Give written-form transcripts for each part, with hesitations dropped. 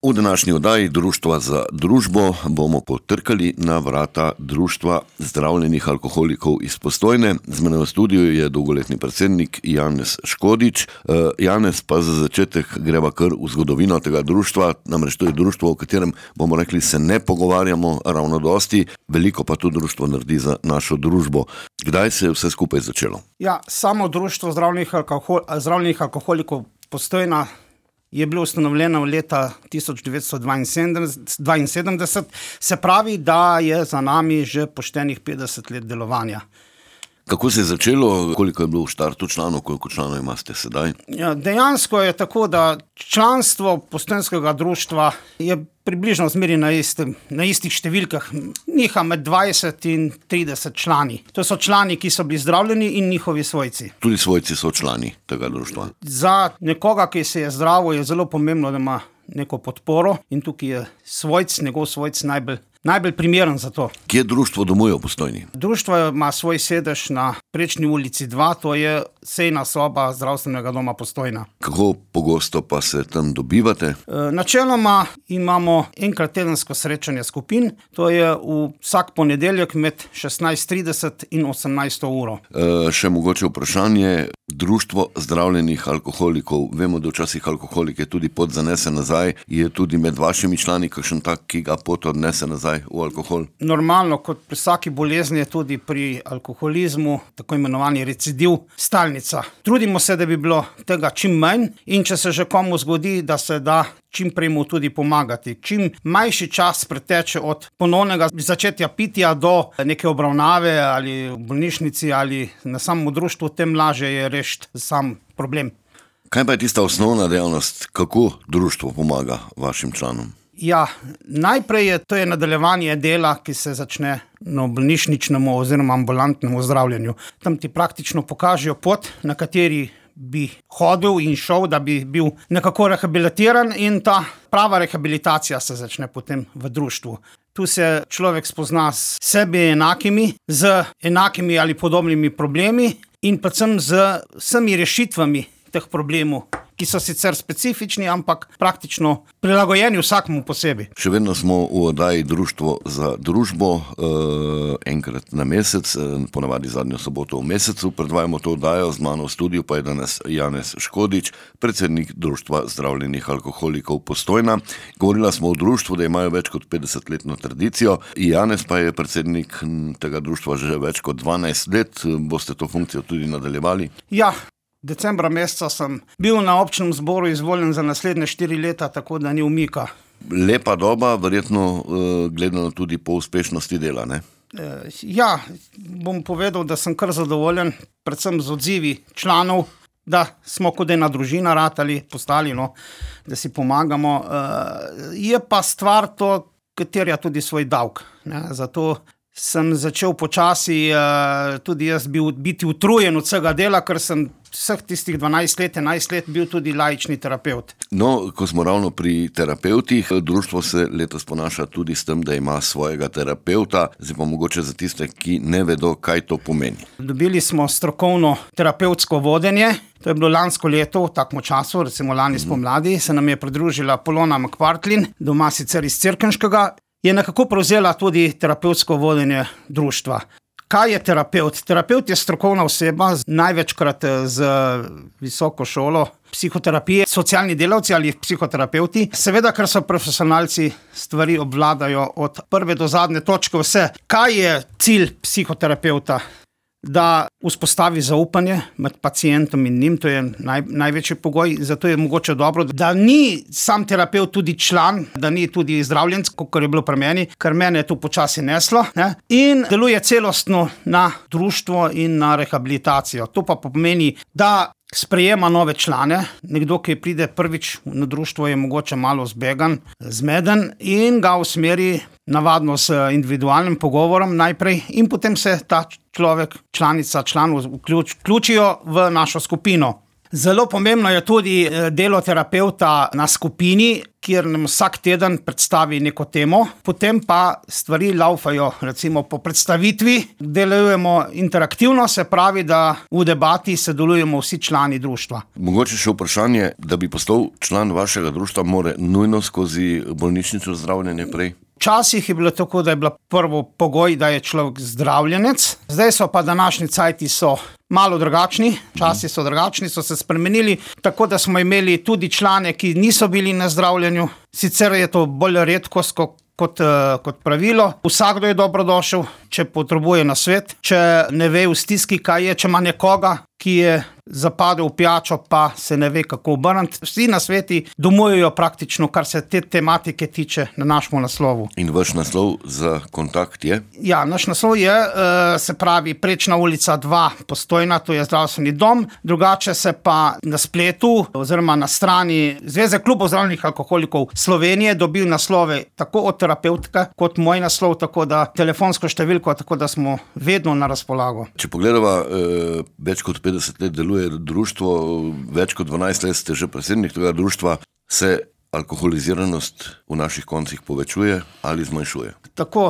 V današnji oddaji Društva za družbo bomo potrkali na vrata Društva zdravljenih alkoholikov iz Postojne. Z menoj v studiu je dolgoletni predsednik Janez Škodič. Janez, pa za začetek greva kar v zgodovino tega društva, namreč to je društvo, o katerem bomo rekli, se ne pogovarjamo ravno dosti, veliko pa to društvo naredi za našo družbo. Kdaj se je vse skupaj začelo? Ja, samo Društvo zdravljenih alkoholikov Postojna je bilo ustanovljeno leta 1972, se pravi, da je za nami že poštenih 50 let delovanja. Kako se je začelo, koliko je bilo v štartu članov, koliko članov imate sedaj? Ja, dejansko je tako, da članstvo postojnskega društva je približno zmeri na istih številkah, niha med 20 in 30 člani. To so člani, ki so bili zdravljeni in njihovi svojci. Tudi svojci so člani tega društva. Za nekoga, ki se je zdravil, je zelo pomembno, da ima neko podporo in tukaj je njegov svojc najbolj primeren za to. Kje društvo domuje v Postojni? Društvo ima svoj sedež na Prečni ulici 2, to je sejna soba zdravstvenega doma Postojna. Kako pogosto pa se tam dobivate? Načeloma imamo enkrat tedensko srečanje skupin, to je vsak ponedeljek med 16:30 in 18. uro. Še mogoče vprašanje, Društvo zdravljenih alkoholikov, vemo, da včasih alkoholik je tudi pot zanese nazaj, je tudi med vašimi člani kakšen tak, ki ga pot odnese nazaj v alkohol? Normalno, kot pri vsaki bolezni je tudi pri alkoholizmu, tako imenovani recidiv, stalnica. Trudimo se, da bi bilo tega čim manj in če se že komu zgodi, da se da čim prej mu tudi pomagati. Čim manjši čas preteče od ponovnega začetja pitja do neke obravnave ali v bolnišnici ali na samem društvu, tem lažje je rešiti sam problem. Kaj pa je tista osnovna dejavnost, kako društvo pomaga vašim članom? Ja, najprej to je nadaljevanje dela, ki se začne na bolnišničnem oziroma ambulantnem zdravljenju. Tam ti praktično pokažejo pot, na kateri bi hodil in šel, da bi bil nekako rehabilitiran, in ta prava rehabilitacija se začne potem v društvu. Tu se človek spozna s sebi enakimi, z enakimi ali podobnimi problemi in predvsem z vsemi rešitvami teh problemov, ki so sicer specifični, ampak praktično prilagojeni vsakemu posebej. Še vedno smo v oddaji Društvo za družbo, enkrat na mesec, ponavadi zadnjo soboto v mesecu, predvajamo to oddajo, z mano v studiu pa je danes Janez Škodič, predsednik Društva zdravljenih alkoholikov Postojna. Govorila smo o društvu, da imajo več kot 50-letno tradicijo, Janez pa je predsednik tega društva že več kot 12 let, boste to funkcijo tudi nadaljevali? Ja. Decembra meseca sem bil na občnem zboru izvoljen za naslednje 4 leta, tako da ni umika. Lepa doba, verjetno gledano tudi po uspešnosti dela, ne? Ja, bom povedal, da sem kar zadovoljen, predvsem z odzivi članov, da smo kot ena družina ratali, postali, da si pomagamo. Je pa stvar to, ki terja tudi svoj davek, ne? Zato sem začel počasi tudi jaz biti utrujen od vsega dela, ker sem vseh tistih 11 let bil tudi laični terapevt. No, ko smo ravno pri terapevtih, društvo se letos ponaša tudi s tem, da ima svojega terapevta, zdaj pa mogoče za tiste, ki ne vedo, kaj to pomeni. Dobili smo strokovno terapevtsko vodenje, to je bilo lansko leto v takem času, recimo lani spomladi, se nam je pridružila Polona Makvartlin, doma sicer iz Cerkniškega, je nekako prevzela tudi terapevtsko vodenje društva. Kaj je terapevt? Terapevt je strokovna oseba, največkrat z visoko šolo psihoterapije, socialni delavci ali psihoterapevti. Seveda, ker so profesionalci, stvari obvladajo od prve do zadnje točke vse. Kaj je cilj psihoterapevta? Da vzpostavi zaupanje med pacientom in njim, to je največji pogoj, zato je mogoče dobro, da ni sam terapevt tudi član, da ni tudi zdravljenec, kot je bilo pri meni, ker mene je to počasi neslo, ne? In deluje celostno na društvo in na rehabilitacijo. To pa pomeni, da sprejema nove člane, nekdo, ki pride prvič na društvo, je mogoče malo zmeden in ga usmeri navadno s individualnim pogovorom najprej in potem se ta človek, članica, član vključijo v našo skupino. Zelo pomembno je tudi delo terapevta na skupini, kjer nam vsak teden predstavi neko temo, potem pa stvari laufajo, recimo po predstavitvi, delujemo interaktivno, se pravi, da v debati sodelujemo vsi člani društva. Mogoče še vprašanje, da bi postal član vašega društva, mora nujno skozi bolnišnično zdravljenje prej? Včasih je bilo tako, da je bila prvo pogoj, da je človek zdravljenec, zdaj so pa današnji cajti so malo drugačni, časi so drugačni, so se spremenili, tako da smo imeli tudi člane, ki niso bili na zdravljenju, sicer je to bolj redkost kot pravilo. Vsakdo je dobrodošel, če potrebuje nasvet, če ne ve v stiski, kaj je, če ima nekoga, ki je zapadel v pijačo, pa se ne ve, kako obrniti. Vsi nasveti domujejo praktično, kar se te tematike tiče na našem naslovu. In vaš naslov za kontakt je? Ja, naš naslov je, se pravi, Prečna ulica 2 Postojna, to je zdravstveni dom, drugače se pa na spletu oziroma na strani Zveze klubov zdravljenih alkoholikov Slovenije dobil naslove tako od terapevtka kot moj naslov, tako da telefonsko številko, tako da smo vedno na razpolago. Če pogledava, več kot 50 let deluje društvo, več kot 12 let ste že predsednik tega društva, se alkoholiziranost v naših koncih povečuje ali zmanjšuje? Tako,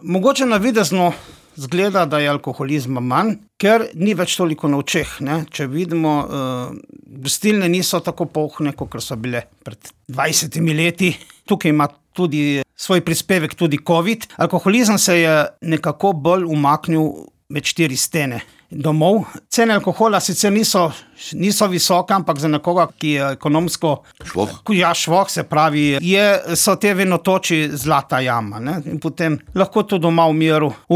mogoče navidezno zgleda, da je alkoholizma manj, ker ni več toliko na očeh, ne? Če vidimo, gostilne niso tako polne, kot so bile pred 20 leti. Tukaj ima tudi svoj prispevek tudi COVID. Alkoholizem se je nekako bolj umaknil med 4 stene domov. Cene alkohola sicer niso visoke, ampak za nekoga, ki je ekonomsko švoh, se pravi, so te vinotoči zlata jama, ne? In potem lahko to doma v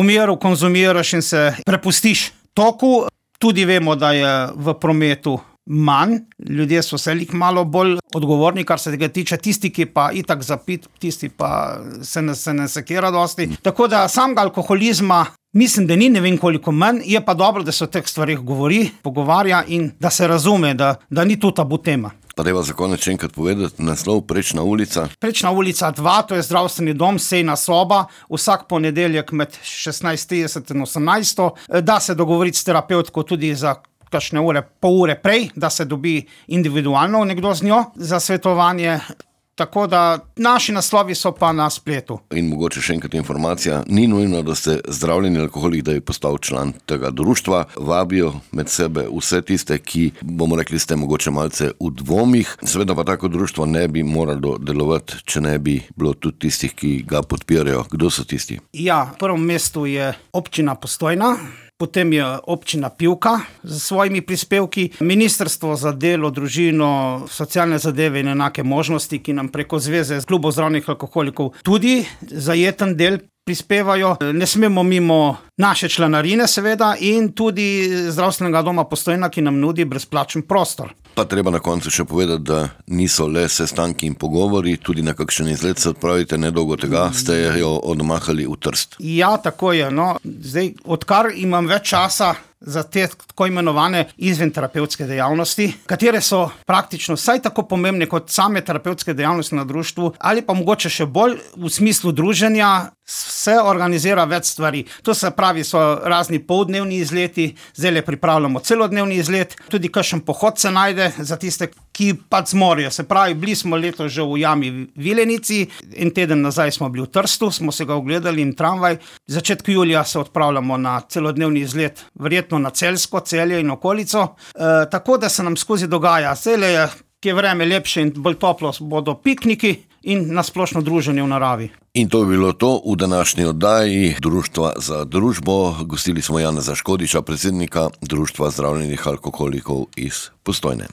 miru konzumiraš in se prepustiš toku. Tudi vemo, da je v prometu manj, ljudje so se malo bolj odgovorni, kar se tega tiče, tisti, ki pa itak zapit, tisti pa se ne sekira dosti. Tako da samega alkoholizma mislim, da ni ne vem koliko manj, je pa dobro, da se o teh stvarih pogovarja in da se razume, da ni to tabu tema. Pa dajva za konec še enkrat povedati, naslov Prečna ulica. Prečna ulica 2, to je zdravstveni dom, sejna soba, vsak ponedeljek med 16:30 in 18. Da se dogovoriti s terapevtko tudi za kakšne pol ure prej, da se dobi individualno nekdo z njo za svetovanje. Tako da naši naslovi so pa na spletu. In mogoče še enkrat informacija, ni nujno, da ste zdravljeni alkoholik, da bi postal član tega društva. Vabijo med sebe vse tiste, ki, bomo rekli, ste mogoče malce v dvomih. Seveda pa tako društvo ne bi moralo delovati, če ne bi bilo tudi tistih, ki ga podpirajo. Kdo so tisti? Ja, v prvem mestu je občina Postojna, potem je občina Pivka z svojimi prispevki, Ministrstvo za delo, družino, socialne zadeve in enake možnosti, ki nam preko Zveze klubov zdravljenih alkoholikov tudi zajeten del prispevajo. Ne smemo mimo naše članarine seveda in tudi zdravstvenega doma Postojna, ki nam nudi brezplačen prostor. Pa treba na koncu še povedati, da niso le sestanki in pogovori, tudi na kakšen izlet se odpravite, nedolgo tega ste jo odmahali v Trst. Ja, tako je, no. Zdaj, odkar imam več časa za te tako imenovane izventerapevtske dejavnosti, katere so praktično vsaj tako pomembne kot same terapevtske dejavnosti na društvu, ali pa mogoče še bolj v smislu druženja, se organizira več stvari. To se pravi, so razni poldnevni izleti, zdaj pripravljamo celodnevni izlet, tudi kakšen pohod se najde za tiste, ki pač zmorejo. Se pravi, bili smo letos že v Jami Vilenici, en teden nazaj smo bili v Trstu, smo se ga ogledali in tramvaj. V začetku julija se odpravljamo na celodnevni izlet, verjetno na Celjsko, Celje in okolico, tako da se nam skozi dogaja. Zdaj je, ki je vreme lepše in bolj toplo, bodo pikniki in nasplošno druženje v naravi. In to je bilo to v današnji oddaji Društva za družbo. Gostili smo Janeza Škodiča, predsednika Društva zdravljenih alkoholikov iz Postojne.